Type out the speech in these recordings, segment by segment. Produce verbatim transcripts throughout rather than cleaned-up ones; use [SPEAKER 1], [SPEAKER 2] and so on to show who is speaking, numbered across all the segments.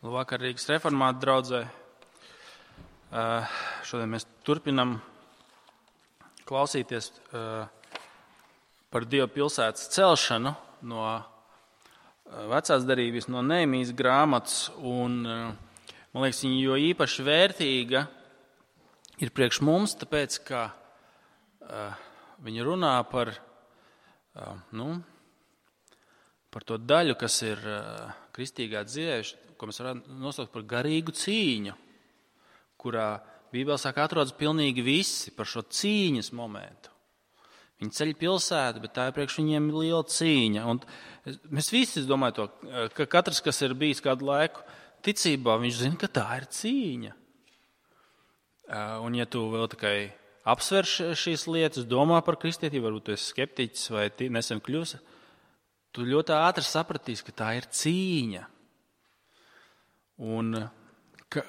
[SPEAKER 1] Labvakar, Rīgas reformātu draudzē. Šodien mēs turpinam klausīties par Dieva pilsētas celšanu no vecās derības, no Nehemijas grāmatas. Un, man liekas, viņa jo īpaši vērtīga ir priekš mums, tāpēc, ka viņa runā par, nu, par to daļu, kas ir kristīgā dzīvē, ko mēs varētu nosaukt par garīgu cīņu, kurā Bībelē saka, atrodas pilnīgi visi par šo cīņas momentu. Viņi ceļ pilsētu, bet tā ir priekš viņiem liela cīņa. Un mēs visi, es domāju, to, ka katrs, kas ir bijis kādu laiku ticībā, viņš zina, ka tā ir cīņa. Un ja tu vēl tikai apsver šīs lietas, domā par kristietību, varbūt tu esi skeptiķis vai nesen kļūsi, tu ļoti ātri sapratīsi, ka tā ir cīņa. Un ka,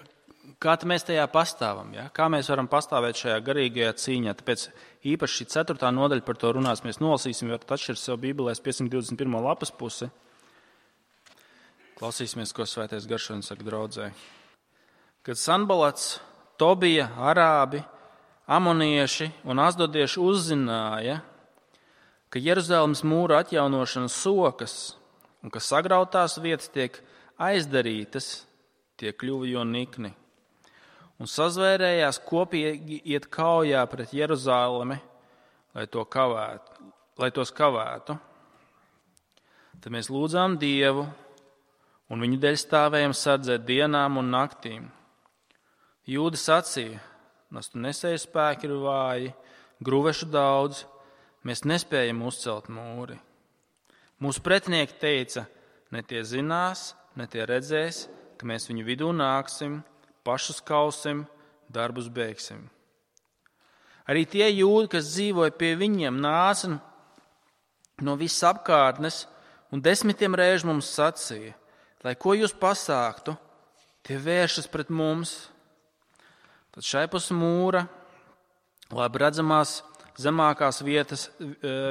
[SPEAKER 1] kā mēs tajā pastāvam, ja? Kā mēs varam pastāvēt šajā garīgajā cīņā? Tāpēc īpaši šī ceturtā nodaļa par to runās. Mēs nolasīsim, varat atšķirt sev Bībelēs piecsimt divdesmit pirmo lapas pusi. Klausīsimies, ko Svētais Gars šodien saka draudzē. Kad Sanbalats, Tobija, Arābi, amonieši un asdodieši uzzināja, ka Jeruzalemes mūra atjaunošanas sokas un ka sagrautās vietas tiek aizdarītas, tie kļuva jo nikni. Un sazvērējās kopīgi iet kaujā pret Jeruzalemi, lai, to kavētu, lai tos kavētu. Tad mēs lūdzām Dievu, un viņu dēļ stāvējam sardzēt dienām un naktīm. Jūdi sacīja, nastu nesēju spēki ir vāji, gruvešu daudz, mēs nespējam uzcelt mūri. Mūsu pretinieki teica, ne tie zinās, ne tie redzēs, ka mēs viņu vidū nāksim, pašus kausim, darbus beigsim. Arī tie jūdi, kas dzīvoja pie viņiem, nāca no visas apkārtnes un desmitiem reižu mums sacīja, lai ko jūs pasāktu, tie vēršas pret mums. Tad šai pus mūra, labi redzamās zemākās vietas,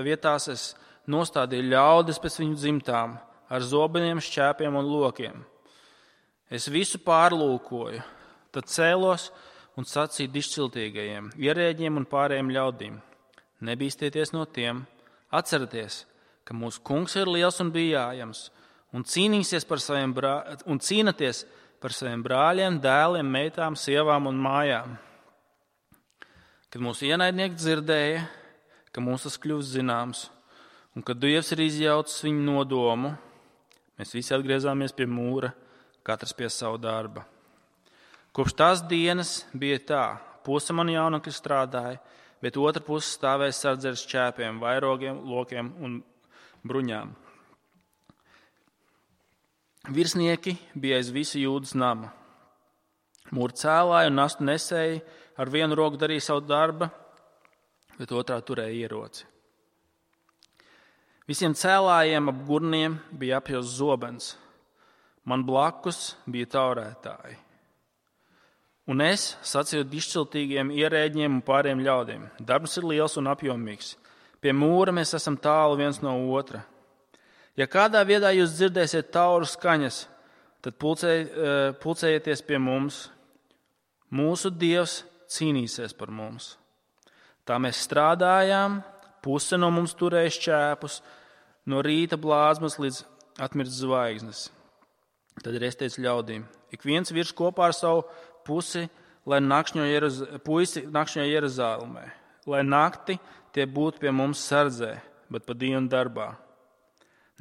[SPEAKER 1] vietās es nostādīju ļaudis pēc viņu dzimtām, ar zobeniem, šķēpiem un lokiem. Es visu pārlūkoju, tad cēlos un sacīju dišciltīgajiem, ierēģiem un pārējiem ļaudīm. Nebīstieties no tiem, atcerieties, ka mūsu kungs ir liels un bijājams, un cīnīsies par saviem brā... un cīnaties par saviem brāļiem, dēliem, meitām, sievām un mājām. Kad mūsu ienaidnieki dzirdēja, ka mums tas kļūst zināms, un kad Dievs ir izjaucis viņu nodomu, mēs visi atgriezāmies pie mūra, katrs pie savu darba. Kopš tās dienas bija tā, puse man jaunekļi strādāja, bet otra puse stāvēja sardzē ar šķēpiem, vairogiem, lokiem un bruņām. Virsnieki bija aiz visu Jūdas nama. Mūra cēlāja un nastu nesēja, ar vienu roku darīja savu darbu, bet otrā turēja ieroci. Visiem cēlājiem ap gurniem bija apjausts zobens. Man blakus bija taurētāji. Un es sacīju dišciltīgiem ierēģiem un pārējiem ļaudīm. Darbs ir liels un apjomīgs. Pie mūra mēs esam tālu viens no otra. Ja kādā vietā jūs dzirdēsiet tauru skaņas, tad pulcēj, pulcējieties pie mums. Mūsu Dievs cīnīsies par mums. Tā mēs strādājām, puse no mums turēja šķēpus, no rīta blāzmas līdz atmirst zvaigznes. Tad arī es teicu ļaudīm, ik viens virs kopā ar savu pusi, lai nakšņo Jeruz... puisi nakšņo Jeruzālēmē, lai nakti tie būtu pie mums sardzē, bet pa dienu darbā.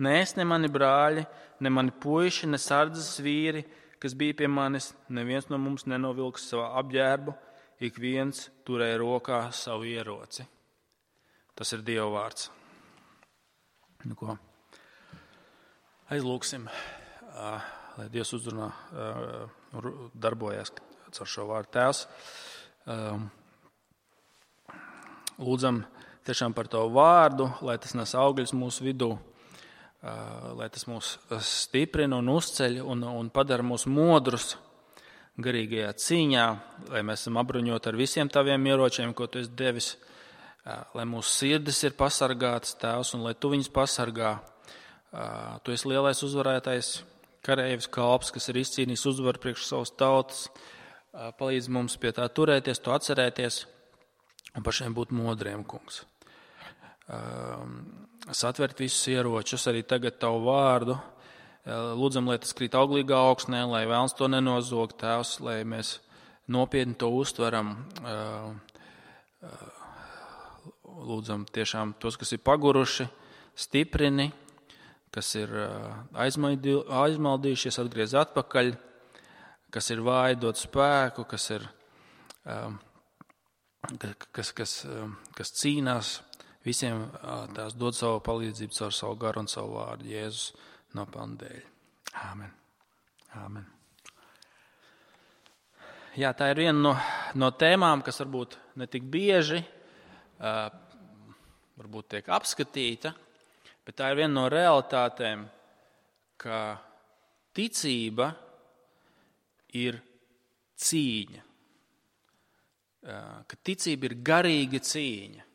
[SPEAKER 1] Ne es, ne mani brāļi, ne mani puiši, ne sardzes vīri, kas bija pie manis, neviens no mums nenovilks savu apģērbu, ik viens turēja rokā savu ieroci. Tas ir Dieva vārds. Nu ko? Aizlūksim. Lai Dievs uzrunā, darbojas caur šo vārdu. Tēvs, lūdzam tiešām par Tavu vārdu, lai tas nes augļus mūsu vidū, lai tas mūs stiprina un uzceļ un, un padara mūs modrus garīgajā cīņā, lai mēs esam apbruņoti ar visiem Taviem ieročiem, ko Tu esi devis, lai mūsu sirdis ir pasargātas, Tēvs, un lai Tu viņus pasargā. Tu esi lielais uzvarētais kareivs kalps, kas ir izcīnījis uzvaru priekš savas tautas, palīdz mums pie tā turēties, to atcerēties un pašiem būt modriem, kungs. Satvert visus ieročus, arī tagad tavu vārdu. Lūdzam, lai tas krīt auglīgā augsnē, lai vēlns to nenozog, Tēvs, lai mēs nopietni to uztveram. Lūdzam tiešām tos, kas ir paguruši, stiprini, kas ir aizmaldījušies, atgriez atpakaļ, kas ir vāji, dod spēku, kas ir, kas, kas, kas cīnās, visiem tās dod savu palīdzību caur savu garu un savu vārdu Jēzus nopelnu dēļ. Āmen. Āmen. Jā, tā ir viena no, no tēmām, kas varbūt ne tik bieži, uh, varbūt tiek apskatīta, bet tā ir viena no realitātēm, ka ticība ir cīņa, uh, ka ticība ir garīga cīņa.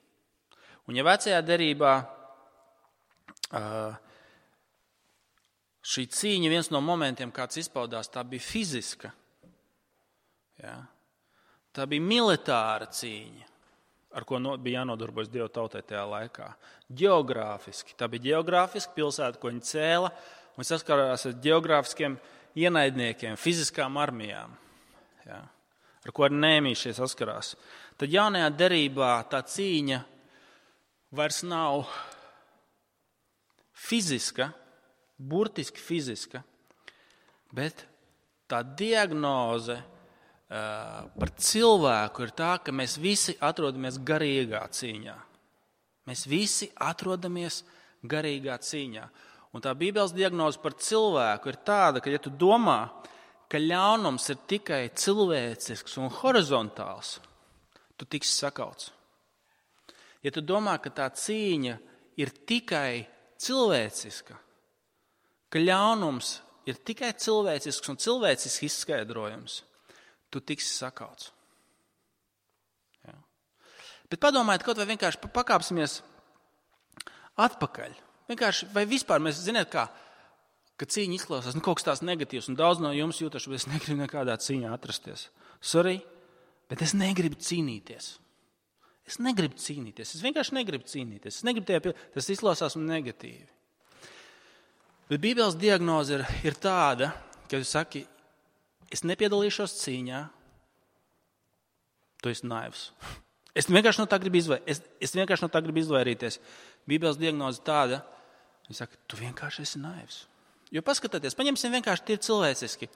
[SPEAKER 1] Un ja vecajā derībā uh, šī cīņa, viens no momentiem, kāds izpaudās, tā bija fiziska. Ja? Tā bija militāra cīņa, ar ko no, bija jānodarbojas Dieva tautai tajā laikā. Geogrāfiski. Tā bija geogrāfiska pilsēta, ko viņi cēla, un saskarās ar geogrāfiskiem ienaidniekiem, fiziskām armijām, ja? Ar ko arī Nehēmijas šie saskarās. Tad jaunajā derībā tā cīņa vairs nav fiziska, burtiski fiziska, bet tā diagnoze uh, par cilvēku ir tā, ka mēs visi atrodamies garīgā cīņā. Mēs visi atrodamies garīgā cīņā. Un tā Bībeles diagnoze par cilvēku ir tāda, ka ja tu domā, ka ļaunums ir tikai cilvēcisks un horizontāls, tu tiksi sakauts. Ja tu domā, ka tā cīņa ir tikai cilvēciska, ka ļaunums ir tikai cilvēcisks un cilvēcisks izskaidrojums, tu tiksi sakauts. Ja. Bet padomājiet, kaut vai vienkārši pakāpsimies atpakaļ. Vienkārši, vai vispār mēs zināt, kā, ka cīņa izklausās, nu kaut kas tās negatīvs, un daudz no jums jūtaši, bet es negribu nekādā cīņā atrasties. Sorry, bet es negribu cīnīties. Es negribu cīnīties, es vienkārši negribu cīnīties. Es negribu tajā, tas izklausās negatīvi. Bet Bībeles diagnoze ir, ir tāda, ka tu saki, es nepiedalīšos cīņā, tu esi naivs. Es vienkārši no tā gribu, izvair, es, es vienkārši no tā gribu izvairīties. Bībeles diagnoze tāda, viņi saka, tu vienkārši esi naivs. Jo paskatieties, paņemsim vienkārši tie cilvēciski.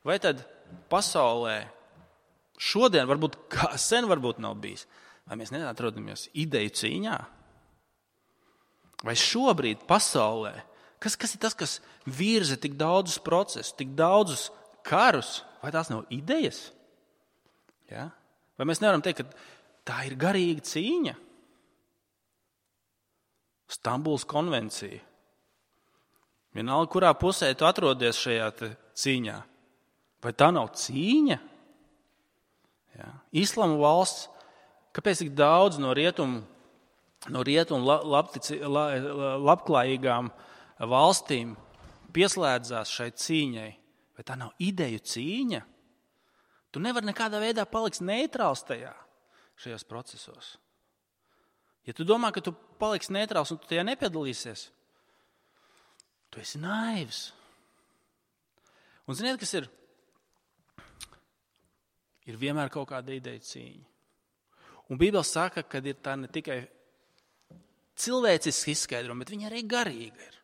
[SPEAKER 1] Vai tad pasaulē šodien, varbūt kā sen varbūt nav bijis, vai mēs neatrodamies ideju cīņā? Vai šobrīd pasaulē, kas, kas ir tas, kas virza tik daudzus procesus, tik daudzus karus, vai tās nav idejas? Ja? Vai mēs nevaram teikt, ka tā ir garīga cīņa? Stambulas konvencija. Vienalga, kurā pusē tu atrodies šajā cīņā. Vai tā nav cīņa? Ja? Islama valsts. Kāpēc tik daudz no rietumu, no rietumu labtici, labklājīgām valstīm pieslēdzās šai cīņai? Vai tā nav ideju cīņa? Tu nevari nekādā veidā palikt neitrāls tajā, šajos procesos. Ja tu domā, ka tu paliksi neitrāls un tu tajā nepiedalīsies, tu esi naivs. Un ziniet, kas ir? Ir vienmēr kaut kāda ideja cīņa. Un Bībele saka, ka ir tā ne tikai cilvēciski izskaidrojuma, bet viņa arī garīga ir.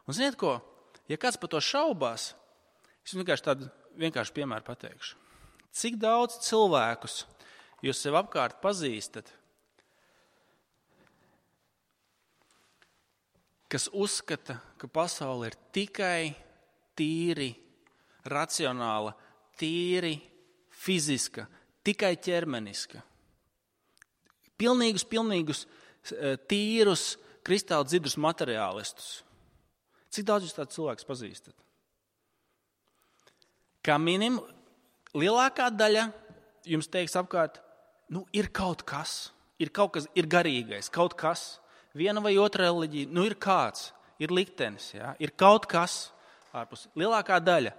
[SPEAKER 1] Un ziniet ko? Ja kāds par to šaubās, es vienkārši tādu vienkārši piemēru pateikšu. Cik daudz cilvēkus jūs sev apkārt pazīstat, kas uzskata, ka pasaule ir tikai tīri racionāla, tīri fiziska, tikai ķermeniska. Pilnīgus, pilnīgus, tīrus, kristāli dzidrus materiālistus. Cik daudz jūs tāds cilvēks pazīstat? Kā minim, lielākā daļa jums teiks apkārt, nu ir kaut kas, ir kaut kas, ir garīgais, kaut kas, viena vai otra reliģija, nu ir kāds, ir liktenis, jā, ir kaut kas, ārpus. Lielākā daļa,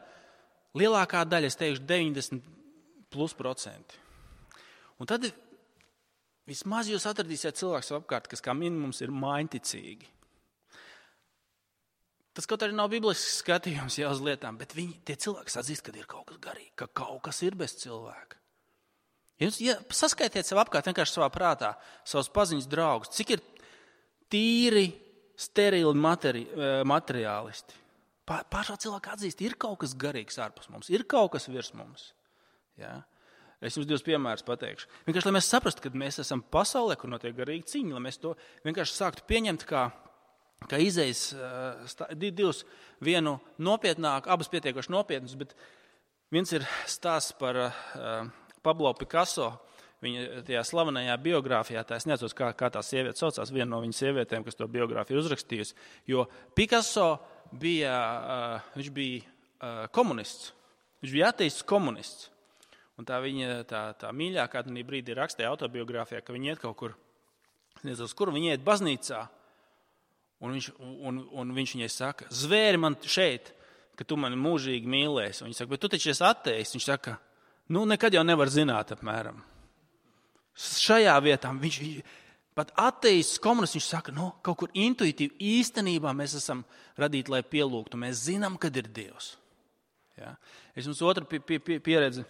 [SPEAKER 1] lielākā daļa, es teikšu, deviņdesmit plus procenti. Un tad vismaz jūs atradīsiet cilvēks apkārt, kas kā minimums ir mainticīgi. Tas kaut arī nav biblisks skatījums jau uz lietām, bet viņi, tie cilvēki atzīst, ka ir kaut kas garīgi, ka kaut kas ir bez cilvēka. Jūs ja saskaitiet sev apkārt vienkārši savā prātā, savus paziņas draugus, cik ir tīri, sterili materi, materiālisti. Pašā cilvēka atzīst, ir kaut kas garīgs ārpus mums, ir kaut kas virs mums. Ja? Es jums divus piemērus pateikšu. Vienkārši, lai mēs saprastu, ka mēs esam pasaulē, kur notiek garīgi cīņa, lai mēs to vienkārši sāktu pieņemt kā kā izejas divus, vienu nopietnāku, abas pietiekoši nopietnus, bet viens ir stāsts par uh, Pablo Picasso, viņa tajā slavenajā biogrāfijā, tā es nezinu, kā, kā tā sieviete saucās, viena no viņas sievietēm, kas to biogrāfiju uzrakstījusi, jo Picasso bija, uh, viņš bija uh, komunists, viņš bija ateists komunists, un tā viņa, tā, tā mīļākā tādā brīdī rakstīja autobiogrāfijā, ka viņa iet kaut kur, nezinu, kur viņa iet baznīcā, Un viņš, un, un viņš viņai saka, zvēri man šeit, ka tu mani mūžīgi mīlēsi. Un viņš saka, bet tu taču esi ateists. Viņš saka, nu nekad jau nevar zināt apmēram. Šajā vietā viņš, pat ateists komunists, viņš saka, nu kaut kur intuitīvi īstenībā mēs esam radīti, lai pielūgtu. Mēs zinām, kad ir Dievs. Ja? Es jums otru pie, pie, pieredzi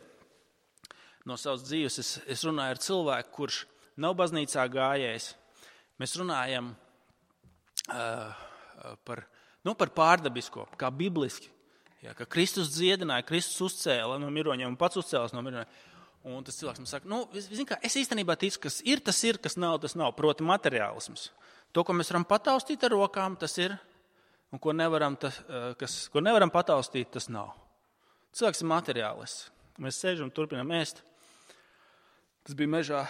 [SPEAKER 1] no savas dzīves. Es, es runāju ar cilvēku, kurš nav baznīcā gājējis. Mēs runājam Uh, par, nu, par pārdabisko, kā bibliski, ja, ka Kristus dziedināja, Kristus uzcēla no miroņiem un pats uzcēlas no miroņiem. Un tas cilvēks man saka, nu, zin kā, es īstenībā ticu, kas ir, tas ir, kas nav, tas nav, proti materiālisms. To, ko mēs varam pataustīt ar rokām, tas ir, un ko nevaram, tas, kas, ko nevaram pataustīt, tas nav. Cilvēks ir materiālists. Mēs sēžam, turpinām ēst. Tas bija mežā,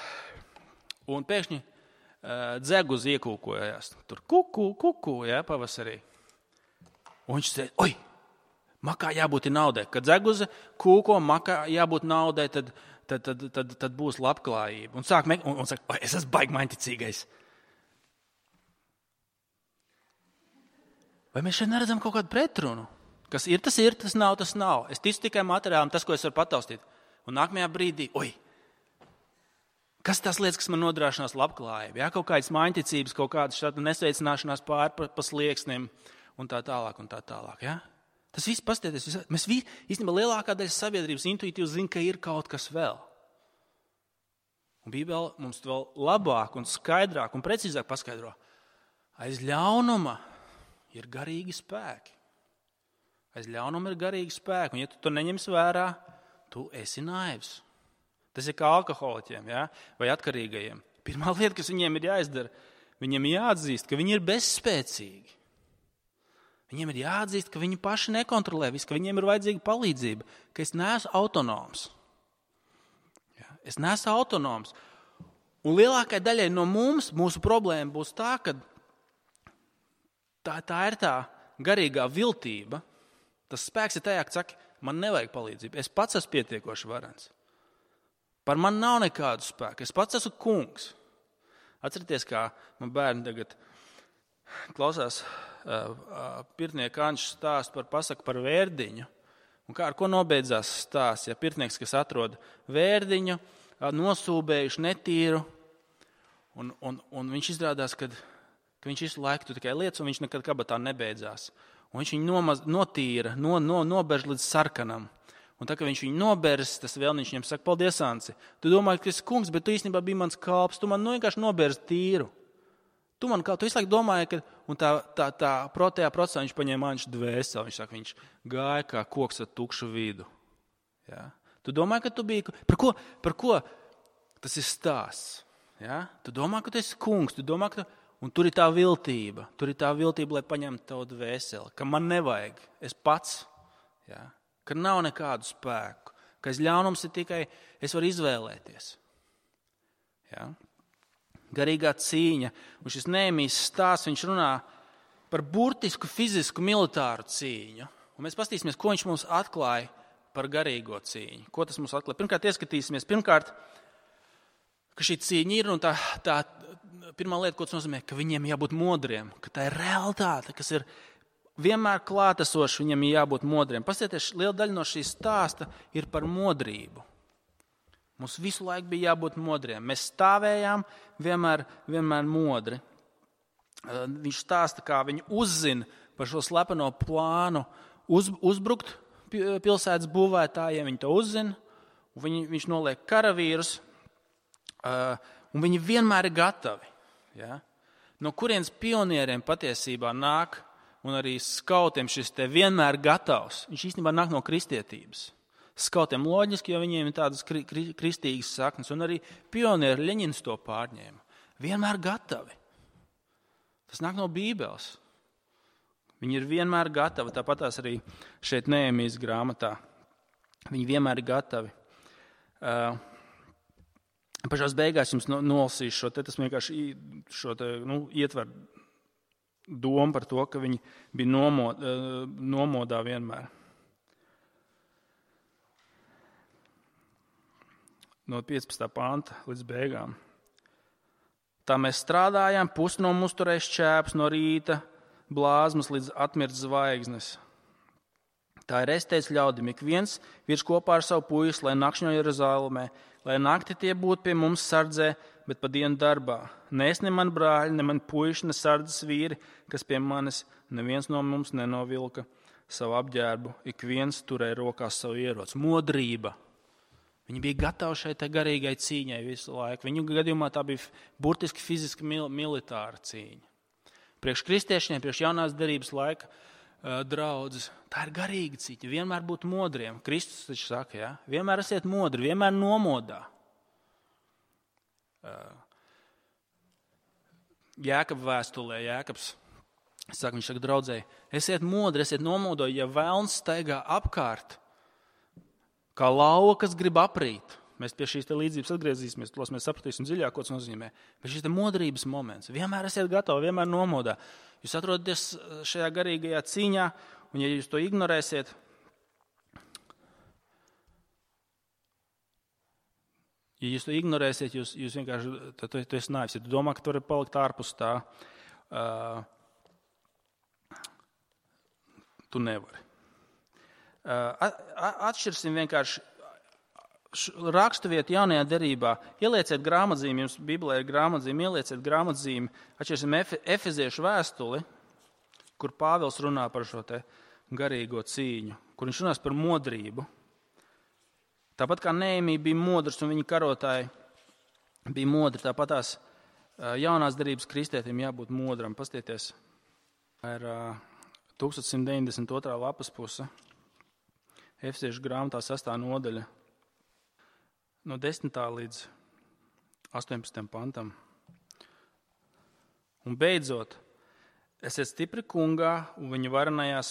[SPEAKER 1] un pēkšņi dzeguz iekūkojās. Tur kuku, kuku, jā, pavasarī. Un viņš teica, oi, makā jābūt naudai. Kad dzeguze kūko, makā jābūt naudai, tad, tad, tad, tad, tad būs labklājība. Un sāk mek, un, un saka, oi, es esmu baigi mainticīgais. Vai mēs šeit neredzam kaut kādu pretrunu? Kas ir, tas ir, tas nav, tas nav. Es ticu tikai materiālam, tas, ko es varu pataustīt. Un nākamajā brīdī, oi, kas tās lietas, kas man nodrošinās labklājību? Jā, kaut kādas maiņticības, kaut kādas nesveicināšanās pāri pa, pa slieksniem un tā tālāk un tā tālāk. Jā? Tas viss pastieties. Mēs vi, īstenībā lielākā daļa sabiedrības intuitīvi zina, ka ir kaut kas vēl. Un Bībele mums vēl labāk un skaidrāk un precīzāk paskaidro. Aiz ļaunuma ir garīgi spēki. Aiz ļaunuma ir garīgi spēki. Un ja tu to neņems vērā, tu esi naivs. Tas ir kā alkoholiķiem, ja? Vai atkarīgajiem. Pirmā lieta, kas viņiem ir jāizdara, viņiem jāatzīst, ka viņi ir bezspēcīgi. Viņiem ir jāatzīst, ka viņi paši nekontrolē visu, ka viņiem ir vajadzīga palīdzība, ka es neesmu autonoms. Ja? Es neesmu autonoms. Un lielākai daļai no mums, mūsu problēma būs tā, ka tā, tā ir tā garīgā viltība. Tas spēks ir tajā, ka saka, man nevajag palīdzību. Es pats esmu pietiekoši varens. Par mani nav nekādu spēku. Es pats esmu kungs. Atcerieties, kā man bērni tagad klausās uh, uh, pirtnieka Ančs stāst par pasaku par vērdiņu. Un kā ar ko nobeidzās stāsts? Ja pirtnieks, kas atrod vērdiņu, uh, nosūbējuši netīru, un, un, un viņš izrādās, kad, ka viņš visu laiku tu tikai lietas, un viņš nekad kabatā nebeidzās. Un viņš viņu nomaz, notīra, no, no, noberž līdz sarkanam. Un tā, ka viņš viņu nobers, tas vēlniņš viņam saka, paldies, Anci. Tu domāji, ka esi kungs, bet tu īstenībā biji mans kalps. Tu man nu vienkārši noberzi tīru. Tu man kā, tu visu laiku domāji, ka, un tā, tā, tā protējā procesā viņš paņēma Anču dvēseli. Viņš saka, viņš gāja kā koks ar tukšu vidu. Ja? Tu domāji, ka tu biji, par ko, par ko tas ir stāsts? Ja? Tu domā, ka tu esi kungs, tu domā, ka tu, un tur ir tā viltība. Tur ir tā viltība, lai paņemtu tavu dvēseli, ka man nevajag, es pats. Ja? Ka nav nekādu spēku, ka aiz ļaunums ir tikai, es varu izvēlēties. Ja? Garīgā cīņa, un šis Nehemijas stāsts, viņš runā par burtisku, fizisku, militāru cīņu. Un mēs pastīsimies, ko viņš mums atklāja par garīgo cīņu. Ko tas mums atklāja? Pirmkārt, ieskatīsimies, pirmkārt, ka šī cīņa ir, un tā, tā pirmā lieta, ko tas nozīmē, ka viņiem jābūt modriem, ka tā ir realitāte, kas ir vienmēr klātesošs, viņam ir jābūt modriem. Paskatieties, liela daļa no šīs stāsta ir par modrību. Mums visu laiku bija jābūt modriem. Mēs stāvējām vienmēr, vienmēr modri. Viņš stāsta, kā viņi uzzina par šo slepeno plānu uz, uzbrukt pilsētas būvētājiem. Viņi to uzzina, un viņi, viņš noliek karavīrus, un viņi vienmēr ir gatavi. Ja? No kurienes pionieriem patiesībā nāk, un arī skautiem šis te vienmēr gatavs. Viņš īstenībā nāk no kristietības. Skautiem loģiski, jo viņiem ir tādas kri, kri, kristīgas saknes, un arī pionieri Ļeņins to pārņēma. Vienmēr gatavi. Tas nāk no Bībeles. Viņi ir vienmēr gatavi, tāpat tās arī šeit Nehēmijas grāmatā. Viņi vienmēr ir gatavi. Uh, pašās beigās jums nolasīšu šo te, tas vienkārši šo te, nu, ietver domu par to, ka viņi bija nomod, uh, nomodā vienmēr. No piecpadsmitā panta līdz beigām. Tā mēs strādājām, pusi no mums turēja šķēps no rīta, blāzmas līdz atmirst zvaigznes. Tā ir es teicu ļaudim, ik viens virs kopā ar savu puisi, lai nakšņo Jeruzalemē, lai nakti tie būtu pie mums sardzē, bet pa dienu darbā. Ne es, ne man brāļi, ne man puiši, ne sardzes vīri, kas pie manis, neviens no mums nenovilka savu apģērbu, ik viens turēja rokās savu ieroci. Modrība. Viņi bija gatavi šai garīgai cīņai visu laiku. Viņu gadījumā tā bija burtiski fiziski mil- militāra cīņa. Priekš kristiešiem, priekš jaunās derības laika uh, draudzes, tā ir garīga cīņa. Vienmēr būt modriem. Kristus taču saka, ja? Vienmēr esiet modri, vienmēr nomodā. Uh, Jēkaba vēstulē, Jēkabs saka, viņš saka draudzēji, esiet modri, esiet nomodo, ja velns staigā apkārt, kā lauva, kas grib aprīt. Mēs pie šīs te līdzības atgriezīsimies, tos mēs sapratīsim dziļāk, ko tas nozīmē. Bet šis te modrības moments. Vienmēr esiet gatavi, vienmēr nomodā. Jūs atrodaties šajā garīgajā cīņā, un ja jūs to ignorēsiet, ja jūs to ignorēsiet, jūs, jūs vienkārši, tad tu, tu esi naivs. Ja tu domā, ka tu vari palikt ārpus tā, uh, tu nevari. Atšķirsim vienkārši raksturvietu jaunajā derībā. Ielieciet grāmatzīmi, jums Bībelē ir grāmatzīmi, ielieciet grāmatzīmi. Atšķirsim Efeziešu vēstuli, kur Pāvils runā par šo te garīgo cīņu, kur viņš runās par modrību. Tāpat kā Nehēmija bija modrs un viņa karotāji bija modri, tāpat tās jaunās derības kristietim jābūt modram. Pastieties, ir tūkstoš simt deviņdesmit otrā lapas puse. Efeziešu grāmatā sestā nodaļa no desmitā līdz astoņpadsmitajam pantam. Un beidzot, esiet stipri kungā un viņa, varenajās,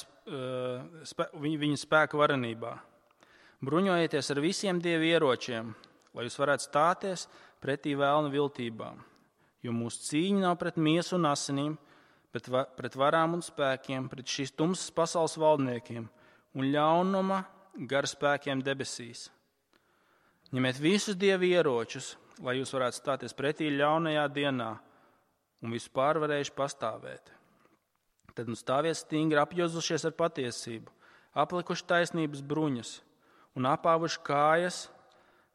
[SPEAKER 1] spē, viņa spēka varenībā. Bruņojieties ar visiem dievu ieročiem, lai jūs varētu stāties pretī vēlna viltībām. Jo mūsu cīņa nav pret miesu un asinīm, bet pret varām un spēkiem, pret šīs tumsas pasaules valdniekiem un ļaunuma gara spēkiem debesīs. Ņemiet visus dievu ieročus, lai jūs varētu stāties pretī ļaunajā dienā un visu pārvarējuši pastāvēt. Tad nu stāviet stingri apjozušies ar patiesību, aplikuši taisnības bruņas un apāvuši kājas,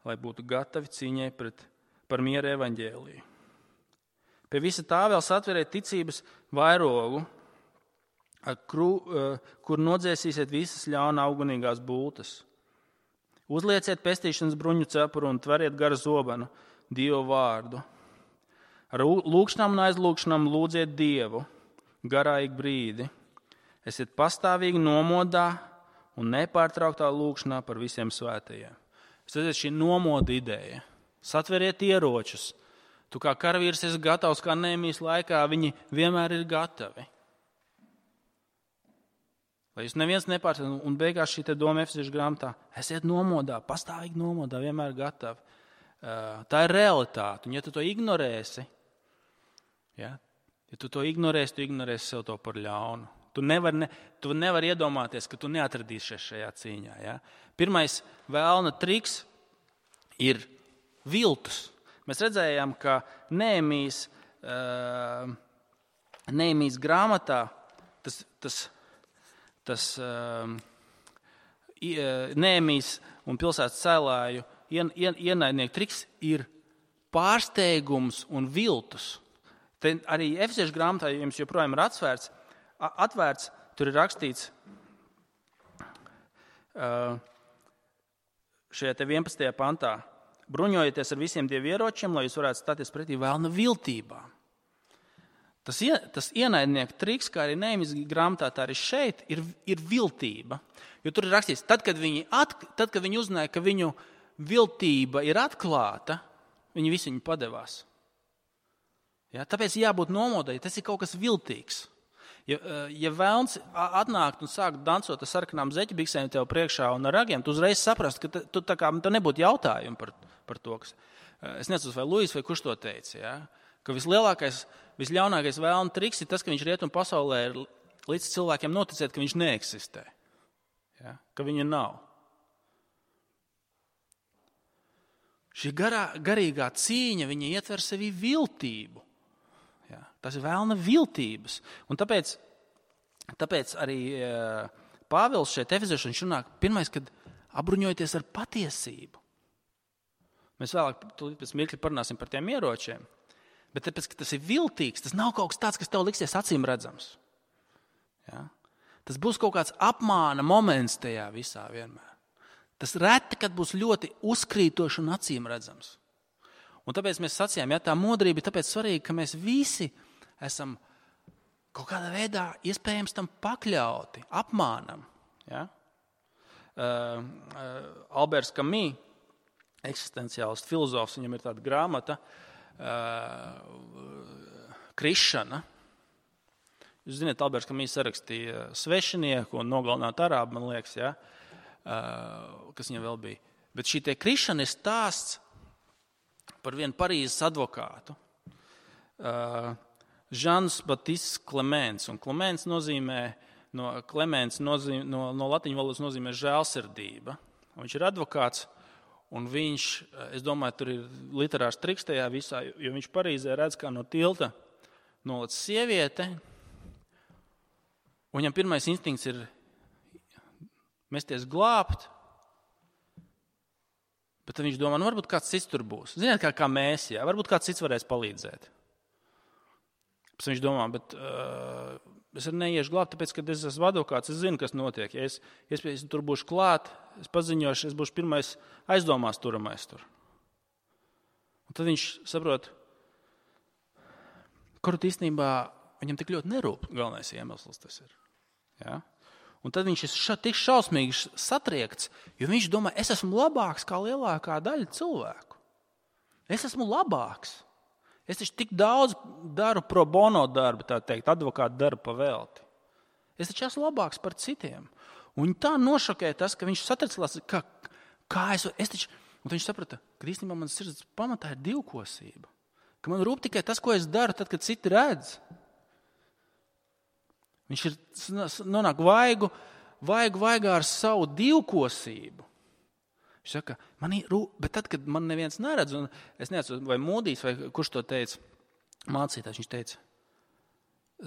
[SPEAKER 1] lai būtu gatavi cīņai pret, par mieru evaņģēliju. Pie visa tā vēl satveriet ticības vairogu, kur nodzēsīsiet visas ļauna augunīgās bultas. Uzlieciet pestīšanas bruņu cepuru un tveriet garu zobenu, Dievu vārdu. Ar lūkšanām un aizlūkšanām lūdziet Dievu, garā ik brīdi. Esiet pastāvīgi nomodā un nepārtrauktā lūkšanā par visiem svētajiem. Es teicu, šī nomoda ideja. Satveriet ieročus. Tu kā karavīrs esi gatavs, kā Nehēmijas laikā, viņi vienmēr ir gatavi. Lai jūs neviens nepārtrauc, un beigās šī te doma Efeziešu grāmatā, esiet nomodā, pastāvīgi nomodā, vienmēr gatavi. Tā ir realitāte, un ja tu to ignorēsi, ja, ja tu to ignorēsi, tu ignorēsi sev to par ļaunu. Tu nevari ne, tu nevar iedomāties, ka tu neatradīsies šajā cīņā. Ja. Pirmais vēlna triks ir viltus. Mēs redzējām, ka Nehēmijas, uh, Nehēmijas grāmatā tas, tas tas um, Nehemijas un pilsētas cēlāju ien, ien, ienaidnieku triks ir pārsteigums un viltus. Te arī Efesiešu grāmatā jums joprojām ir atvērts, atvērts tur ir rakstīts uh, šajā te vienpadsmitajā pantā. Bruņojieties ar visiem dievu ieročiem, lai jūs varētu stāties pretī vēlna viltībām. Tas, tas ienaidnieku triks, kā arī Nehemijas grāmatā, tā arī šeit, ir, ir viltība. Jo tur ir rakstīts, tad, kad viņi, at, tad, kad viņi uzzināja, ka viņu viltība ir atklāta, viņi visi viņu padevās. Ja, tāpēc jābūt nomodai, tas ir kaut kas viltīgs. Ja, ja vēlns atnākt un sākt dancot ar sarkanām zeķebiksēm tev priekšā un ar ragiem, tu uzreiz saprast, ka tu, tā kā, tu nebūtu jautājumu par, par to. Kas, es nezinu, vai Luis vai kurš to teica, ja? Ka vislielākais, visļaunākais vēlna triks ir tas, ka viņš rietumu pasaulē ir līdz cilvēkiem noticēt, ka viņš neeksistē, ja? Ka viņa nav. Šī garā, garīgā cīņa, viņa ietver sevī viltību. Ja? Tas ir vēlna viltības. Un tāpēc, tāpēc arī Pāvils šeit Efeziešu viņš runā, pirmais, kad apbruņojieties ar patiesību. Mēs vēlāk pēc mirkļa parunāsim par tiem ieročiem. Bet tāpēc, ka tas ir viltīgs, tas nav kaut kas tāds, kas tev liksies acīm redzams. Ja? Tas būs kaut kāds apmāna moments tajā visā vienmēr. Tas reti, kad būs ļoti uzkrītoši un acīm redzams. Un tāpēc mēs sacījām, ja tā modrība ir tāpēc svarīga, ka mēs visi esam kaut kādā veidā iespējams tam pakļauti, apmānam. Ja? Uh, uh, Alberts Camus, eksistenciālists filozofs, viņam ir tāda grāmata, uh, Krišana. Jūs zināt, Alberts Camus sarakstīja Svešinieku un Nogalināt arābu, man liekas, ja? uh, kas viņam vēl bija. Bet šī te Krišana ir stāsts par vienu Parīzes advokātu. Uh, Žans Batis Klements. Un Klements nozīmē, no, Klements nozīmē, no, no latiņu valodas nozīmē žēlsirdība. Un viņš ir advokāts, un viņš, es domāju, tur ir literārs triks tajā visā, jo viņš Parīzē redz, kā no tilta nolec sieviete, un viņam pirmais instinkts ir mesties glābt, bet tad viņš domā, nu varbūt kāds cits tur būs. Ziniet, kā, kā mēs, jā, varbūt kāds cits varēs palīdzēt. Pēc viņš domā, bet uh, es arī neiešu glābt, tāpēc, ka es esmu advokāts, es zinu, kas notiek. Ja es, es tur būšu klāt, es paziņošu, es būšu pirmais aizdomās turamais tur. Un tad viņš saprot, kur īstenībā viņam tik ļoti nerūp, galvenais iemesls tas ir. Ja? Un tad viņš ir tik šausmīgi satriekts, jo viņš domā, es esmu labāks kā lielākā daļa cilvēku. Es esmu labāks. Es taču tik daudz daru pro bono darbu, tā teikt, advokātu darbu pavēlti. Es taču esmu labāks par citiem. Un tā nošokēja tas, ka viņš satricās, ka kā es, es taču, un viņš saprata, ka īstenībā manas sirds pamatā ir divkosība. Ka man rūp tikai tas, ko es daru, tad, kad citi redz. Viņš ir nonāk vaigu, vaigu vaigā ar savu divkosību. Viņš saka, man ir rūp, bet tad, kad man neviens neredz, un es nezinu, vai Mūdijs, vai kurš to teica, mācītājs, viņš teica,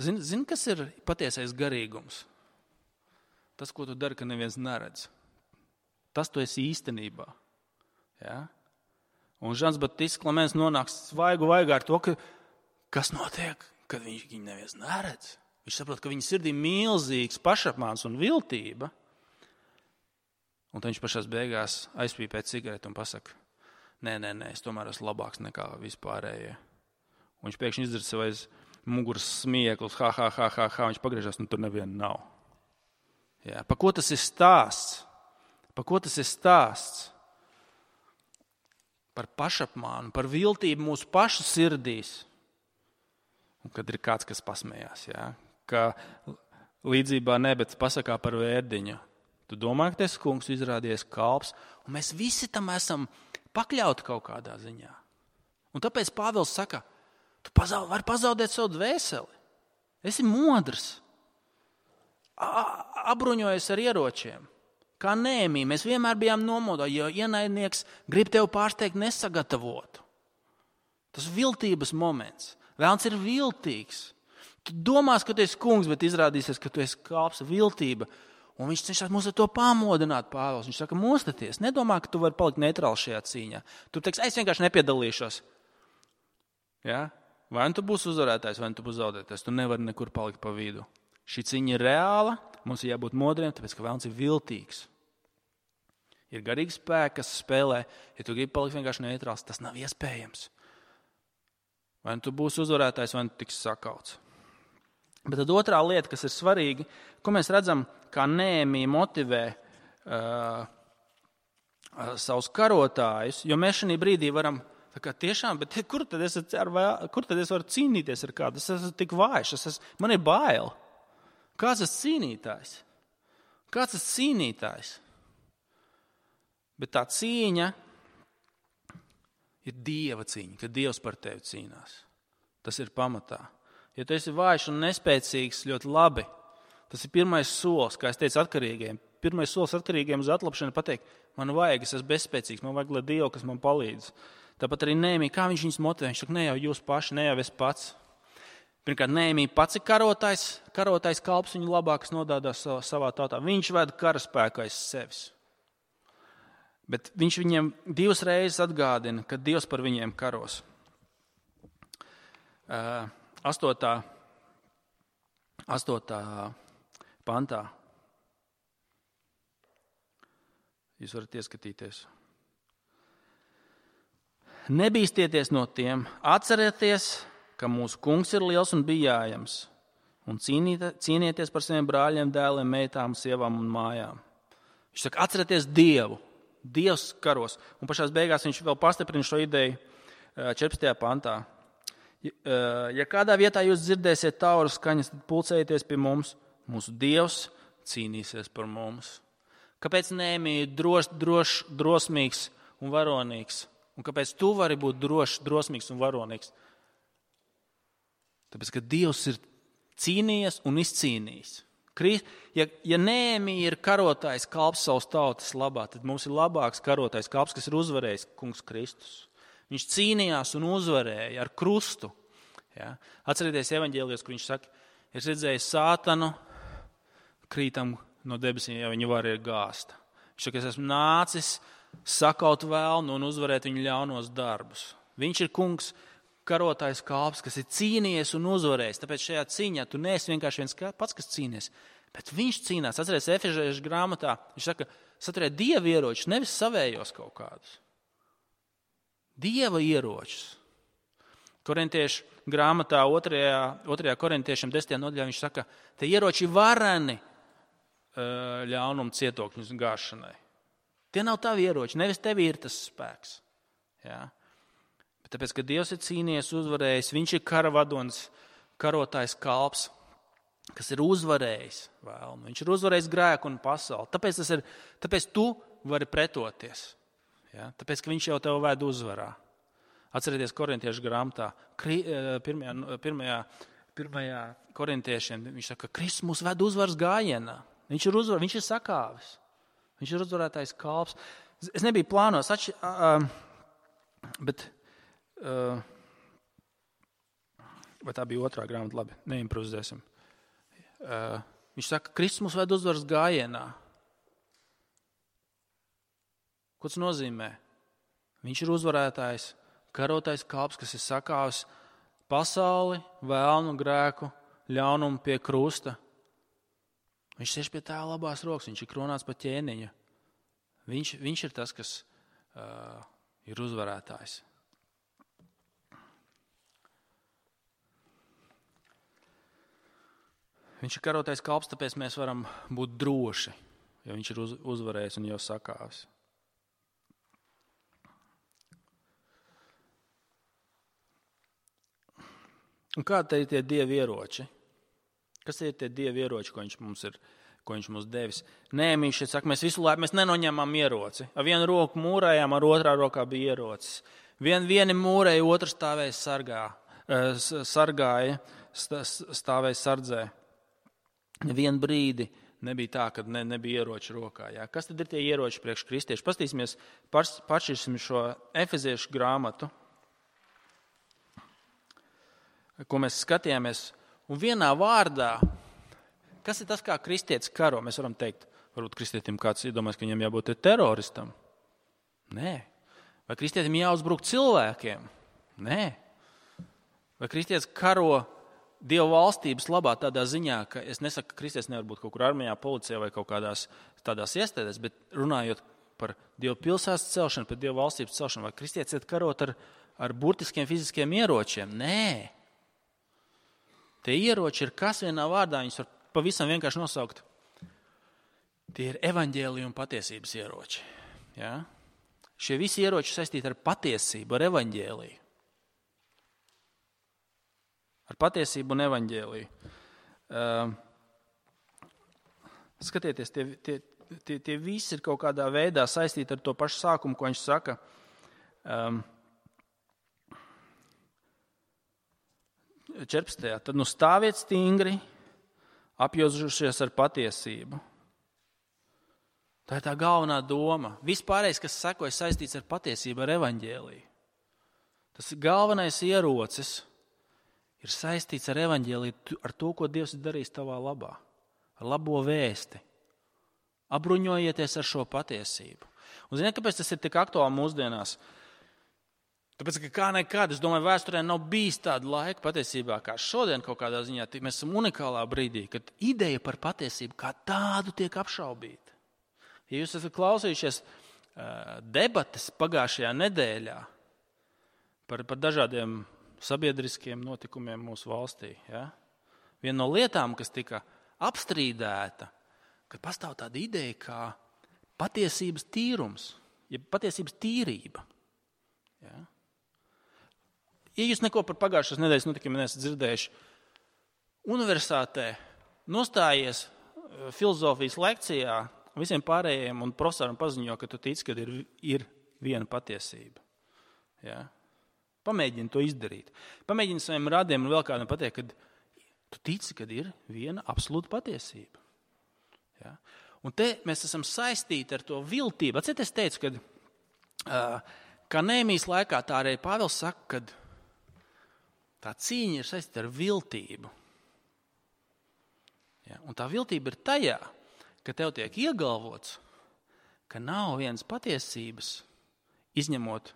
[SPEAKER 1] zini, zin, kas ir patiesais garīgums? Tas, ko tu dari, ka neviens neredz. Tas tu esi īstenībā. Ja? Un Žans Batis Klements nonāks vaigu vaigā ar to, ka, kas notiek, kad viņš viņu neviens neredz. Viņš saprot, ka viņa sirdī milzīgs pašapmāns un viltība. Un tad viņš pašās beigās aizpīpē cigareti un pasaka, nē, nē, nē, es tomēr esmu labāks nekā vispārējie. Un viņš pēkšņi izdzird sev aiz muguras smieklus, ha, ha, ha, ha, ha, viņš pagriežās, un tur neviena nav. Jā, pa ko tas ir stāsts? Pa ko tas ir stāsts? Par pašapmānu, par viltību mūsu pašu sirdīs. Un kad ir kāds, kas pasmējās, jā, ka līdzībā ne, bet pasakā par vērdiņu. Tu domā, ka tas kungs izrādies kalps, un mēs visi tam esam pakļauti kaut kādā ziņā. Un tāpēc Pāvils saka, tu pazaud, vari pazaudēt savu dvēseli. Esi modrs. Apbruņojies ar ieročiem. Kā Nehemija, mēs vienmēr bijām nomodā, jo ienaidnieks grib tevi pārsteigt nesagatavotu. Tas viltības moments. Vēlns ir viltīgs. Tu domās, ka tu esi kungs, bet izrādīsies, ka tu esi kalps, viltība. Un viņš cenšas mūs ar to pamodināt, Pāvils. Viņš saka, mostaties, nedomā, ka tu vari palikt neitrāls šajā cīņā. Tu teiks, es vienkārši nepiedalīšos. Ja? Vai nu tu būsi uzvarētājs, vai nu tu būsi zaudētājs. Tu nevari nekur palikt pa vidu. Šī cīņa ir reāla, mums ir jābūt modriem, tāpēc, ka vēlns ir viltīgs. Ir garīgi spēki, kas spēlē. Ja tu gribi palikt vienkārši neitrāls, tas nav iespējams. Vai nu tu būsi uzvarētājs, vai nu tu tiks sakauts. Bet tad otrā lieta, kas ir svarīga, ko mēs redzam, kā Nehēmija motivē uh, uh, savus karotājus, jo mēs šajā brīdī varam, tā kā tiešām, bet kur tad es, ar, kur tad es varu cīnīties ar kādu? Es esmu tik vājš, es esmu, man ir bail. Kāds tas cīnītājs? Kāds tas cīnītājs? Bet tā cīņa ir Dieva cīņa, kad Dievs par tevi cīnās. Tas ir pamatā. Ja tu esi vājš un nespēcīgs, ļoti labi. Tas ir pirmais solis, kā es teicu atkarīgiem. Pirmais solis atkarīgiem uz atlapšanu pateikt, man vajag, es esmu bezspēcīgs, man vajag, lai Dievu, kas man palīdz. Tāpat arī Nehēmija, kā viņš viņus motivē, viņš saka, ne jau jūs paši, ne jau es pats. Pirmkārt, Nehēmija pats ir karotājs, karotājs kalps viņu labākas nodādās savā tautā. Viņš veda karaspēku aiz sevis. Bet viņš viņiem divas reizes atgādina, ka Dievs par viņiem karos. Uh, Astotā, astotā pantā. Jūs varat ieskatīties. Nebīstieties no tiem, atcerieties, ka mūsu kungs ir liels un bijājams, un cīnīt, cīnieties par saviem brāļiem, dēliem, meitām, sievām un mājām. Viņš saka, atcerieties Dievu. Dievs karos. Un pašās beigās viņš vēl pastiprina šo ideju četrpadsmitajā pantā. Ja kādā vietā jūs dzirdēsiet tauru skaņas, tad pulcējieties pie mums. Mūsu Dievs cīnīsies par mums. Kāpēc Nehēmija ir drošs, drošs, drosmīgs un varonīgs? Un kāpēc tu vari būt drošs, drosmīgs un varonīgs? Tāpēc, ka Dievs ir cīnījies un izcīnījis. Ja, ja Nehēmija ir karotājs kalps savas tautas labā, tad mums ir labāks karotājs kalps, kas ir uzvarējis kungs Kristus. Viņš cīnījās un uzvarēja ar krustu. Ja? Atcerieties evaņģēlijos, kur viņš saka, es redzēju sātanu, krītam no debesīm, ja viņa var ir gāsta. Viņš saka, es esmu nācis sakaut vēlnu un uzvarēt viņu ļaunos darbus. Viņš ir kungs, karotājs kalps, kas ir cīnījies un uzvarējis. Tāpēc šajā cīņā tu neesi vienkārši viens pats, kas cīnies, bet viņš cīnās. Atcerieties, Efežiešu grāmatā, viņš saka, saturiet Dieva ieročus, nevis savējos kaut kādus. Dieva ieročus. Korintiešu grāmatā otrajā, otrajā korintiešiem desmitajā nodaļā viņš saka, te ieroči vareni ļaunumu cietokļus gāšanai. Tie nav tavi ieroči, nevis tevi ir tas spēks. Jā. Bet tāpēc, ka Dievs ir cīnījies, uzvarējis, viņš ir kara vadonis, karotājs kalps, kas ir uzvarējis vēlmu. Viņš ir uzvarējis grēku un pasauli. Tāpēc, tas ir, tāpēc tu vari pretoties. Ja? Tāpēc, ka viņš jau tev ved uzvarā. Atcerieties korintiešu grāmatā, pirmajā, pirmajā, pirmajā korintiešiem, viņš saka, ka Kristus mūs ved uzvaras gājienā. Viņš ir uzvar, viņš ir sakāvis. Viņš ir uzvarētājs kalps. Es nebiju plānos, atši, uh, bet, uh, vai tā bija otrā grāmata, labi, neimprovizēsim. Uh, viņš saka, ka Kristus mūs ved uzvaras gājienā. Ko tas nozīmē? Viņš ir uzvarētājs, karotais kalps, kas ir sakāvis pasauli, vēlnu, grēku, ļaunumu pie krusta. Viņš sēž pie tā labās rokas, viņš ir kronāts pa ķēniņu. Viņš, viņš ir tas, kas uh, ir uzvarētājs. Viņš ir karotais kalps, tāpēc mēs varam būt droši, jo viņš ir uz, uzvarējis un jau sakāvis. Un kādi ir tie dievi ieroči? Kas ir tie dievi ieroči, ko viņš mums ir, ko viņš mums devis? Nē, viņš šeit saka, mēs visu laiku mēs nenoņemam ieroci. Ar vienu roku mūrējām, ar otrā rokā bija ierocis. Vien, vieni mūrēja, otrs stāvēja sargā, sargāja, stāvēja sardzē. Vienu brīdi nebija tā, kad ne, nebija ieroči rokā. Jā. Kas tad ir tie ieroči priekš kristieši? Pastīsimies, pašķirsim šo Efeziešu grāmatu, ko mēs skatījāmies, Un vienā vārdā, kas ir tas, kā kristietis karo? Mēs varam teikt, varbūt kristietim kāds iedomājas, ka viņam jābūt teroristam. Nē. Vai kristietim jāuzbruk cilvēkiem? Nē. Vai kristietis karo Dieva valstības labā tādā ziņā, ka es nesaku, ka kristietis nevar būt kaut kur armijā, policijā vai kaut kādās tādās iestādēs, bet runājot par Dieva pilsētas celšanu, par Dieva valstības celšanu, vai kristietis iet karot ar, ar burtiskiem fiziskiem ieročiem? Nē. Tie ieroči ir kas vienā vārdā, viņus var pavisam vienkārši nosaukt. Tie ir evaņģēlija un patiesības ieroči. Ja? Šie visi ieroči saistīti ar patiesību, ar evaņģēliju. Ar patiesību un evaņģēliju. Uh, skatieties, tie, tie, tie, tie visi ir kaut kādā veidā saistīti ar to pašu sākumu, ko viņš saka. Um, četrpadsmitajā Tad nu stāviet stingri, apjozušies ar patiesību. Tā ir tā galvenā doma. Vispārējais, kas sekoja, saistīts ar patiesību, ar evaņģēliju. Tas ir galvenais ierocis. Ir saistīts ar evaņģēliju, ar to, ko Dievs ir darījis tavā labā, ar labo vēsti. Apbruņojieties ar šo patiesību. Un ziniet, kāpēc tas ir tik aktuāli mūsdienās? Tāpēc, ka kā nekad, es domāju, vēsturē nav bijis tāda laika patiesībā, kā šodien kaut kādā ziņā. Mēs esam unikālā brīdī, kad ideja par patiesību kā tādu tiek apšaubīta. Ja jūs esat klausījušies uh, debates pagājušajā nedēļā par, par dažādiem sabiedriskiem notikumiem mūsu valstī. Ja? Viena no lietām, kas tika apstrīdēta, ka pastāv tāda ideja kā patiesības tīrums, ja patiesības tīrība. Ja? Ja jūs neko par pagājušās nedēļas notikumiem neesat dzirdējuši, universitātē nostājies filozofijas lekcijā visiem pārējiem un profesoram paziņo, ka tu tici, ka ir, ir viena patiesība. Ja? Pamēģini to izdarīt. Pamēģini saviem radiem un vēl kādam pateikt, ka tu tici, ka ir viena absolūta patiesība. Ja? Un te mēs esam saistīti ar to viltību. Atciet, es teicu, ka uh, kā Nehēmijas laikā tā arī Pāvils saka, ka tā cīņa ir saistīta ar viltību. Ja? Un tā viltība ir tajā, ka tev tiek iegalvots, ka nav vienas patiesības, izņemot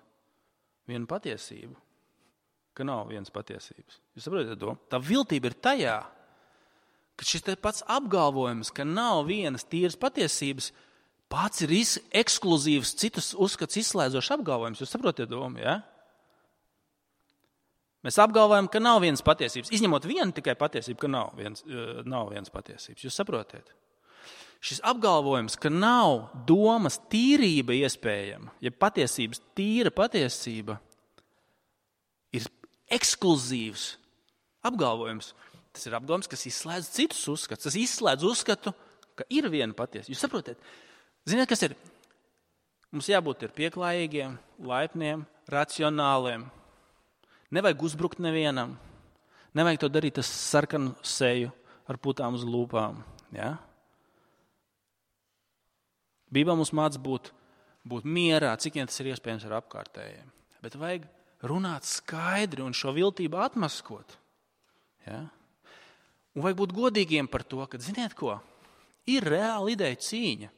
[SPEAKER 1] vienu patiesību, ka nav vienas patiesības. Jūs saprotat to? Tā viltība ir tajā, ka šis te pats apgalvojums, ka nav vienas tīras patiesības, pats ir ekskluzīvs, citus uzskats izslēdzošs apgalvojums. Jūs saprotat domu, ja? Mēs apgalvojam, ka nav vienas patiesības, izņemot vienu tikai patiesību, ka nav vienas, nav vienas patiesības. Jūs saprotat? Šis apgalvojums, ka nav domas tīrība iespējama, ja patiesības tīra patiesība, ir ekskluzīvs apgalvojums. Tas ir apgalvojums, kas izslēdz citus uzskatus. Tas izslēdz uzskatu, ka ir viena patiesība. Jūs saprotat? Ziniet, kas ir? Mums jābūt ir pieklājīgiem, laipniem, racionāliem. Nevajag uzbrukt nevienam. Nevajag to darīt ar sarkanu seju, ar putām uz lūpām. Ja? Bībelē mums māc būt, būt mierā, cik vien tas ir iespējams ar apkārtējiem. Bet vajag runāt skaidri un šo viltību atmaskot. Ja? Un vajag būt godīgiem par to, ka, ziniet ko, ir reāla ideja cīņa.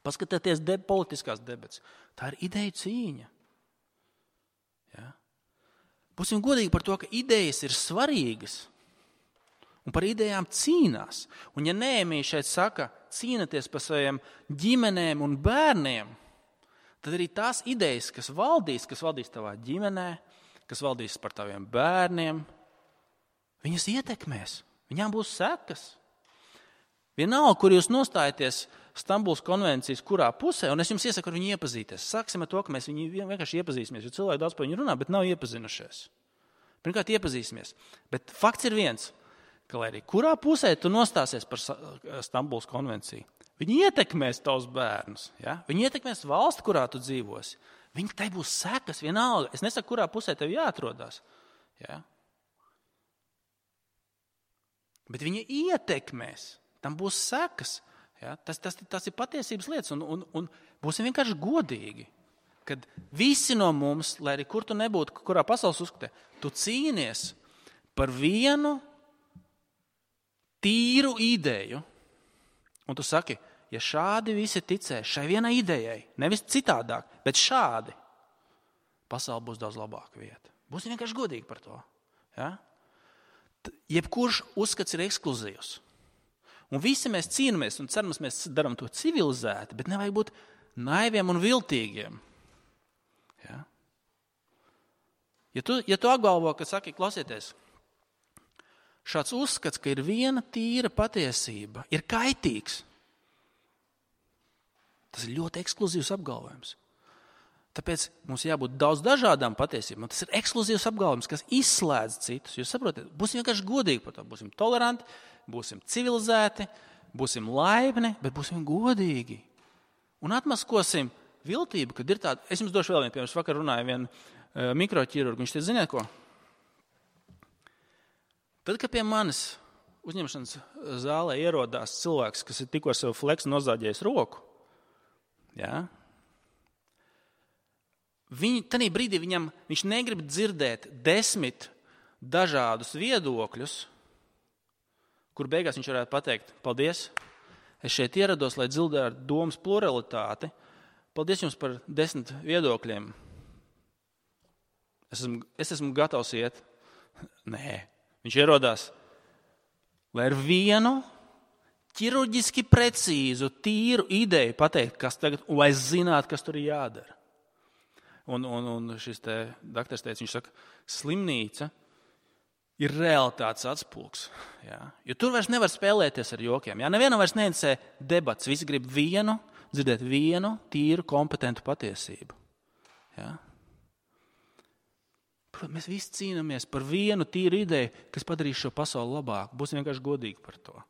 [SPEAKER 1] Paskatieties de, politiskās debats. Tā ir ideja cīņa. Ja? Būsim godīgi par to, ka idejas ir svarīgas. Un par idejām cīnās. Un ja Nehēmija šeit saka, cīnaties par saviem ģimenēm un bērniem, tad arī tās idejas, kas valdīs, kas valdīs tavā ģimenē, kas valdīs par taviem bērniem, viņas ietekmēs. Viņām būs sekas. Vienalga, kur jūs nostājaties Stambulas konvencijas, kurā pusē, un es jums iesaku ar viņu iepazīties. Sāksim ar to, ka mēs viņu vienkārši iepazīsimies, jo cilvēki daudz par viņu runā, bet nav iepazinušies. Pirmkārt, iepazīsimies. Bet fakts ir viens, ka lai arī kurā pusē tu nostāsies par Stambulas konvenciju, viņi ietekmēs tavus bērnus. Ja? Viņi ietekmēs valsti, kurā tu dzīvosi. Viņi tai būs sekas vienalga. Es nesaku, kurā pusē tev jāatrodās. Ja? Bet viņi ietekmēs. Tam būs sekas. Ja? Tas, tas, tas ir patiesības lietas. Un, un, un būsim vienkārši godīgi. Kad visi no mums, lai arī kur tu nebūtu, kurā pasaules uzskatē, tu cīnies par vienu tīru ideju, un tu saki, ja šādi visi ticēs šai vienai idejai, nevis citādāk, bet šādi, pasaule būs daudz labāka vieta. Būsim vienkārši godīgi par to. Ja? Jebkurš uzskats ir ekskluzīvs. Un visi mēs cīnāmies un cerams, mēs darām to civilizēti, bet nevajag būt naiviem un viltīgiem. Ja? Ja tu, ja tu apgalvo, ka saki, klausieties, šāds uzskats, ka ir viena tīra patiesība, ir kaitīgs. Tas ir ļoti ekskluzīvs apgalvojums. Tāpēc mums jābūt daudz dažādām patiesībām. Tas ir ekskluzīvs apgalvojums, kas izslēdz citus. Jūs saprotat, būsim vienkārši godīgi par to. Būsim toleranti, būsim civilizēti, būsim laipni, bet būsim godīgi. Un atmaskosim viltību, kad ir tāda. Es jums došu vēl vienu piemēru. Es vakar runāju vienu uh, mikroķirurgu. Viņš te ziniet ko? Tad, kad pie manis uzņemšanas zālē ierodās cilvēks, kas ir tikko sev fleks nozāģējis roku, jā, Viņi, tanī brīdī viņam, viņš negrib dzirdēt desmit dažādus viedokļus, kur beigās viņš varētu pateikt, paldies, es šeit ierados, lai dzirdētu domas pluralitāti, paldies jums par desmit viedokļiem. Es esmu, es esmu gatavs iet. Nē, viņš ierodās, lai ar vienu ķirurģiski precīzu, tīru ideju pateikt, kas tagad, un lai zinātu, kas tur ir jādara. Un, un, un šis te daktars teica, viņš saka, slimnīca ir realitātes atspulgs. Jā. Jo tur vairs nevar spēlēties ar jokiem. Jā. Nevienam vairs neinteresē debats. Visi grib vienu, dzirdēt vienu tīru, kompetentu patiesību. Jā. Protams, mēs visi cīnāmies par vienu tīru ideju, kas padarīs šo pasauli labāku. Būsim vienkārši godīgi par to.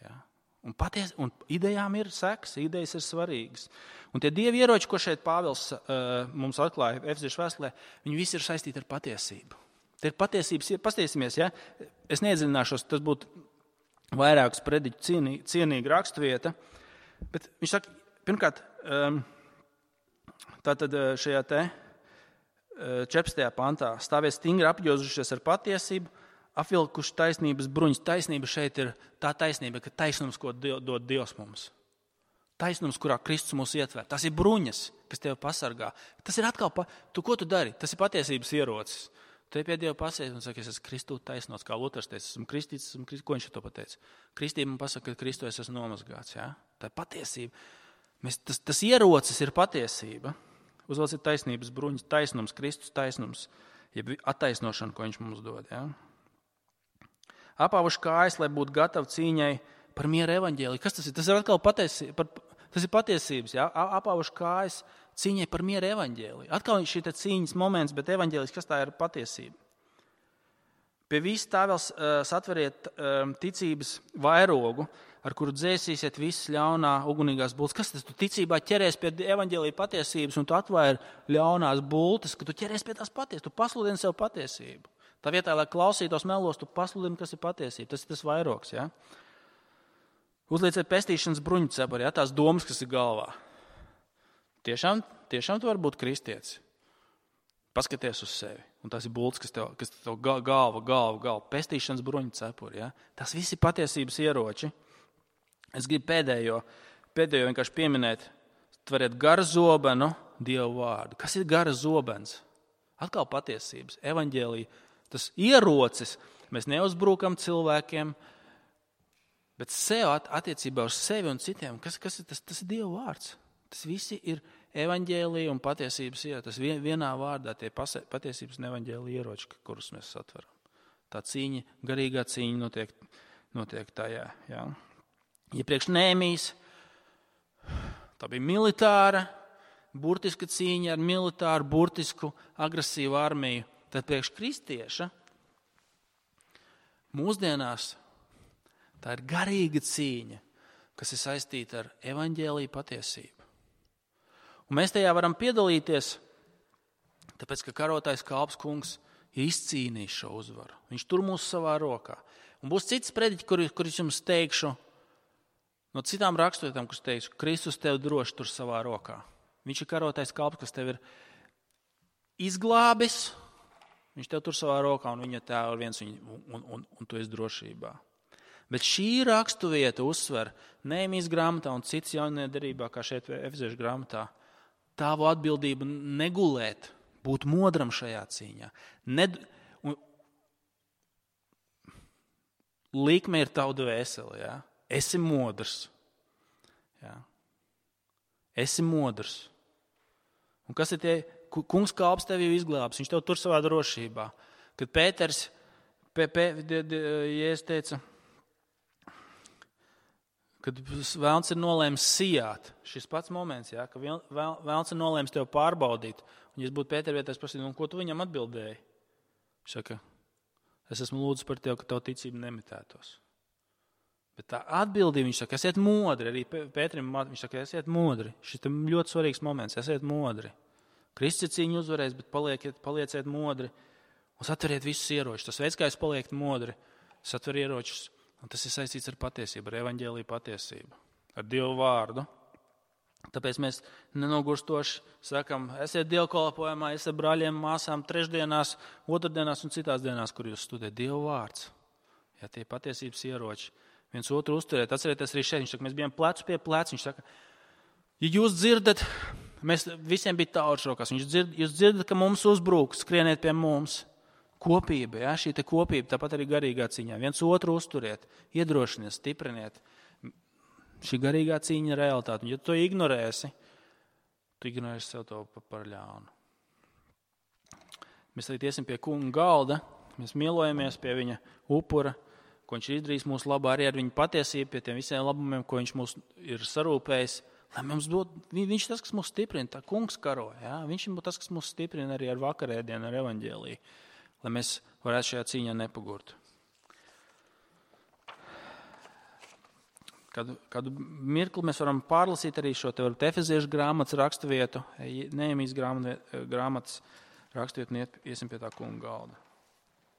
[SPEAKER 1] Jā. Un, paties, un idejām ir seks, idejas ir svarīgas. Un tie dievi ieroči, ko šeit Pāvils uh, mums atklāja Efeziešu vēstulē, viņi visi ir saistīti ar patiesību. Tie ir patiesības, pastiesimies, ja? Es neiedziļināšos, tas būtu vairākus prediķu cienī, cienīga raksturvieta, bet viņš saka, pirmkārt, um, tātad šajā te uh, četrpadsmitajā pantā stāvies stingri apjozušies ar patiesību, apvilkuši taisnības bruņas. Taisnība šeit ir tā taisnība, ka taisnums, ko dod Dievs mums. Taisnums, kurā Kristus mūs ietver. Tas ir bruņas, kas tevi pasargā. Tas ir atkal, pa... tu, ko tu dari? Tas ir patiesības ierocis. Tu pie Dieva pasies un saki, es esmu Kristū taisnots, kā Luters teica, esmu kristīts, esmu kristīts. Ko viņš to pateica? Kristība man pasaka, ka Kristū es esmu nomazgāts. Ja? Tā ir patiesība. Mēs, tas, tas ierocis ir patiesība. Uzvalc ir taisnības bruņas, taisnums, Kristus taisnums, jeb attaisnošana, ko viņš mums dod. Ja? Apāvuši kājas, lai būtu gatavi cīņai par mieru evaņģēliju. Kas tas ir? Tas ir atkal patiesības. Par, tas ir patiesības. Ja? Apāvuši kājas cīņai par mieru evaņģēliju. Atkal šī cīņas moments, bet evaņģēlijs, kas tā ir patiesība? Pie vis tā vēl uh, satveriet uh, ticības vairogu, ar kuru dzēsīsiet visas ļaunā ugunīgās bultas. Kas tas? Tu ticībā ķeries pie evaņģēlija patiesības un tu atvairi ļaunās bultas, ka tu ķeries pie tās patiesības. Tu pasludini sev patiesību. Tā vietā, lai klausītos melos, tu pasludini, kas ir patiesība. Tas ir tas vairogs. Ja? Uzlieciet pestīšanas bruņu cepuri, ja? Tās domas, kas ir galvā. Tiešām, tiešām tu vari būt kristietis. Paskaties uz sevi. Un tās ir bultas, kas tev, kas tev galva, galva, galva. Pestīšanas bruņu cepuri. Ja? Tas viss ir patiesības ieroči. Es gribu pēdējo, pēdējo vienkārši pieminēt. Tveriet gara zobenu Dievu vārdu. Kas ir gara zobens? Atkal patiesības. Evaņģēlija. Tas ierocis, mēs neuzbrukam cilvēkiem, bet sev attiecībā uz sevi un citiem. Kas, kas ir tas? Tas ir Dieva vārds. Tas visi ir evaņģēlija un patiesības ieroči. Tas vienā vārdā tie patiesības un evaņģēlija ieroči, kurus mēs satveram. Tā cīņa, garīgā cīņa notiek, notiek tajā. Jā. Iepriekš Nēmijas, tā bija militāra, burtiska cīņa ar militāru, burtisku, agresīvu armiju. Tad priekš kristieša mūsdienās tā ir garīga cīņa, kas ir saistīta ar evaņģēliju patiesību. Un mēs tajā varam piedalīties, tāpēc, ka karotais kalps kungs ir izcīnījis šo uzvaru. Viņš tur mūs savā rokā. Un būs cits prediķi, kur, kur es jums teikšu, no citām raksturvietām, kurus teikšu, Kristus tev droši tur savā rokā. Viņš ir karotais kalps, kas tev ir izglābis. Viņš tev tur savā rokā un viņa tēva ir viens un, un, un, un tu esi drošībā. Bet šī raksturvieta uzsver Nehemijas grāmatā un cits jaunajā derībā, kā šeit Efeziešu grāmatā, tavu atbildību negulēt, būt modram šajā cīņā. Ned... Un... Likme ir tavu dvēseli, ja? Esi modrs. Ja? Esi modrs. Un kas ir tie? Kungs kalps tevi izglābs, viņš tev tur savā drošībā. Kad Pēters, P, P, Jēzus teica, kad vēlns ir nolēms sijāt, šis pats moments, ja, ka vēlns ir nolēms tev pārbaudīt. Un, ja es būtu Pētera vietā, es prasītu, un ko tu viņam atbildēji? Viņš saka, es esmu lūdzis par tevi, ka tavu ticību nemitētos. Bet tā atbildība, viņš saka, esiet modri. Arī Pēterim, viņš saka, esiet modri. Šis ir ļoti svarīgs moments, esiet modri. Kristus cīņu uzvarēs, bet palieciet, palieciet modri un satveriet visus ieročus. Tas veids, kā jūs paliekat modri, satver ieročus. Un tas ir saistīts ar patiesību, ar evaņģēliju patiesību, ar Dievu vārdu. Tāpēc mēs nenogurstoši sakam, esiet dievkalpojumā, esiet brāļiem, māsām trešdienās, otrdienās un citās dienās, kur jūs studējat Dievu vārds. Ja tie patiesības ieroči, viens otru uzturēt. Atcerieties arī šeit, viņš saka, mēs bijām plecu pie plecu. Viņš saka, ja jūs dzirdat, mēs visiem bija taurš rokās, viņš dzird, jūs dzirdat, ka mums uzbrūk, skrieniet pie mums. Kopība, ja, šī te kopība, tāpat arī garīgā cīņā. Viens otru uzturiet, iedrošiniet, stipriniet. Šī garīgā cīņa ir realitāte. Un ja tu to ignorēsi, tu ignorēsi sev to par ļaunu. Mēs tagad iesim pie kunga galda, mēs mīlojamies pie viņa upura, ko viņš ir izdarījis mūsu labā, arī ar viņa patiesību, pie tiem visiem labumiem, ko viņš mūs ir sarūpējis. Lai mums dod, viņš tas, kas mūs stiprina, tā kungs karo. Ja? Viņš ir tas, kas mūs stiprina arī ar vakarēdienu, ar evaņģēliju. Lai mēs varētu šajā cīņā nepagurt. Kādu, kādu mirkli mēs varam pārlasīt arī šo te varbūt Efeziešu grāmatas raksturvietu, Nehemijas grāmatas raksturvietu un iesim pie tā kunga galda.